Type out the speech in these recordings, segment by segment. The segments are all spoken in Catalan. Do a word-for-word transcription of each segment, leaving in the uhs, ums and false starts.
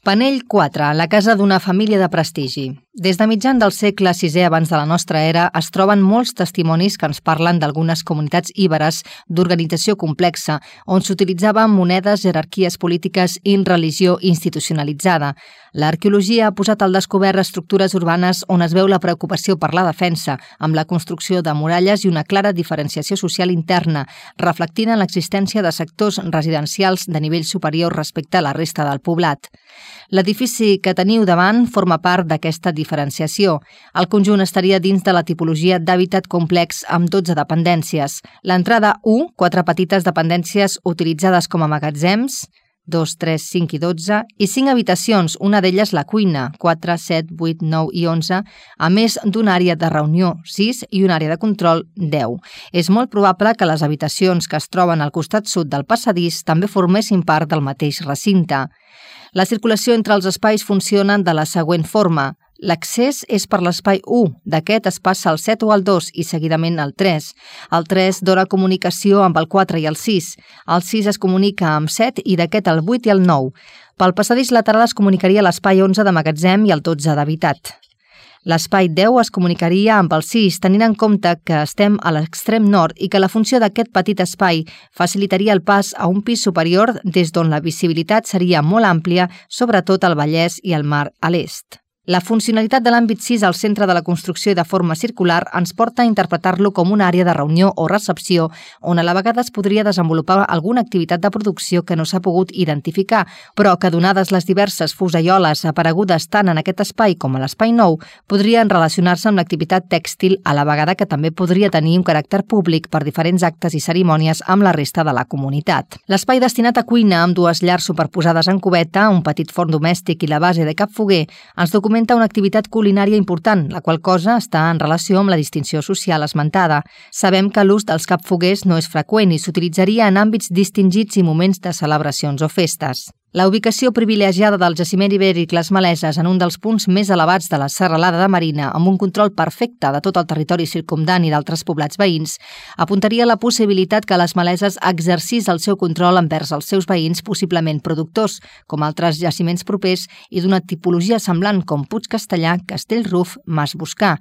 Panell quatre, la casa d'una família de prestigi. Des de mitjan del segle sisè abans de la nostra era es troben molts testimonis que ens parlen d'algunes comunitats íberes d'organització complexa on s'utilitzaven monedes, jerarquies polítiques i religió institucionalitzada. L'arqueologia ha posat al descobert estructures urbanes on es veu la preocupació per la defensa, amb la construcció de muralles i una clara diferenciació social interna, reflectint en l'existència de sectors residencials de nivell superior respecte a la resta del poblat. L'edifici que teniu davant forma part d'aquesta diferenciació. El conjunt estaria dins de la tipologia d'hàbitat complex amb dotze dependències. L'entrada u, quatre petites dependències utilitzades com a magatzems, dos, tres, cinc i dotze, i cinc habitacions, una d'elles la cuina, quatre, set, vuit, nou i onze, a més d'una àrea de reunió, sis, i una àrea de control, deu. És molt probable que les habitacions que es troben al costat sud del passadís també formessin part del mateix recinte. La circulació entre els espais funciona de la següent forma. L'accés és per l'espai u, d'aquest es passa al set o al dos i seguidament al tres. El tres dona comunicació amb el quatre i el sis. El sis es comunica amb set i d'aquest el vuit i el nou. Pel passadís lateral es comunicaria l'espai onze de magatzem i el dotze d'habitat. L'espai deu es comunicaria amb el sis, tenint en compte que estem a l'extrem nord i que la funció d'aquest petit espai facilitaria el pas a un pis superior des d'on la visibilitat seria molt àmplia, sobretot al Vallès i al mar a l'est. La funcionalitat de l'àmbit sis al centre de la construcció i de forma circular ens porta a interpretar-lo com una àrea de reunió o recepció on a la vegada es podria desenvolupar alguna activitat de producció que no s'ha pogut identificar, però que, donades les diverses fuseioles aparegudes tant en aquest espai com a l'espai nou, podrien relacionar-se amb l'activitat tèxtil a la vegada que també podria tenir un caràcter públic per diferents actes i cerimònies amb la resta de la comunitat. L'espai destinat a cuina amb dues llars superposades en cubeta, un petit forn domèstic i la base de cap foguer, ens documenta una activitat culinària important, la qual cosa està en relació amb la distinció social esmentada. Sabem que l'ús dels capfoguers no és freqüent i s'utilitzaria en àmbits distingits i moments de celebracions o festes. La ubicació privilegiada del jaciment ibèric Les Maleses en un dels punts més elevats de la serralada de Marina, amb un control perfecte de tot el territori circumdant i d'altres poblats veïns, apuntaria a la possibilitat que Les Maleses exercís el seu control envers els seus veïns possiblement productors, com altres jaciments propers i d'una tipologia semblant com Puig Castellà, Castellruf, Mas Boscà,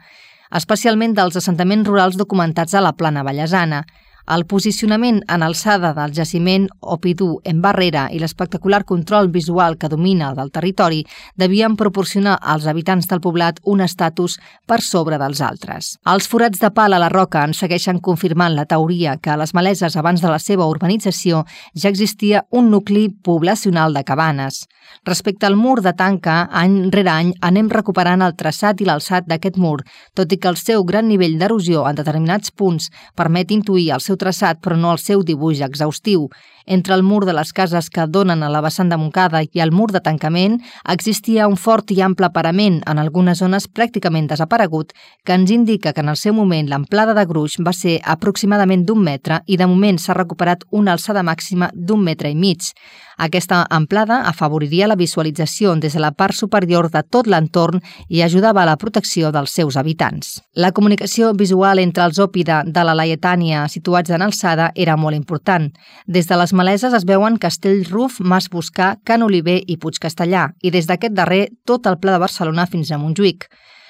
especialment dels assentaments rurals documentats a la plana vallesana. El posicionament en alçada del jaciment Opidú en Barrera i l'espectacular control visual que domina del territori devien proporcionar als habitants del poblat un estatus per sobre dels altres. Els forats de pal a la roca ens segueixen confirmant la teoria que a les Maleses abans de la seva urbanització ja existia un nucli poblacional de cabanes. Respecte al mur de tanca, any rere any anem recuperant el traçat i l'alçat d'aquest mur, tot i que el seu gran nivell d'erosió en determinats punts permet intuir el seu traçat però no el seu dibuix exhaustiu. Entre el mur de les cases que donen a la vessant de Montcada i el mur de tancament existia un fort i ample parament, en algunes zones pràcticament desaparegut, que ens indica que en el seu moment l'amplada de gruix va ser aproximadament d'un metre i de moment s'ha recuperat una alçada màxima d'un metre i mig. Aquesta amplada afavoriria la visualització des de la part superior de tot l'entorn i ajudava a la protecció dels seus habitants. La comunicació visual entre els Òpida de la Laietània situats en alçada era molt important. Des de les Maleses es veuen Castellruf, Mas Boscà, Can Oliver i Puig Castellà, i des d'aquest darrer tot el Pla de Barcelona fins a Montjuïc.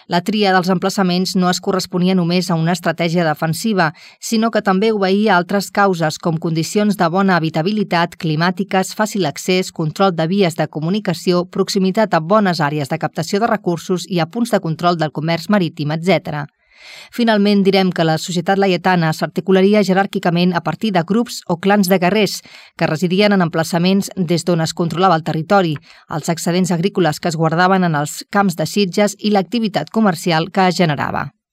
La tria dels emplaçaments no es corresponia només a una estratègia defensiva, sinó que també obeïa a altres causes com condicions de bona habitabilitat, climàtiques, fàcil accés, control de vies de comunicació, proximitat a bones àrees de captació de recursos i a punts de control del comerç marítim, etcètera. Finalment, direm que la societat laietana s'articularia jeràrquicament a partir de grups o clans de guerrers que residien en emplaçaments des d'on es controlava el territori, els excedents agrícoles que es guardaven en els camps de sitges i l'activitat comercial que es generava.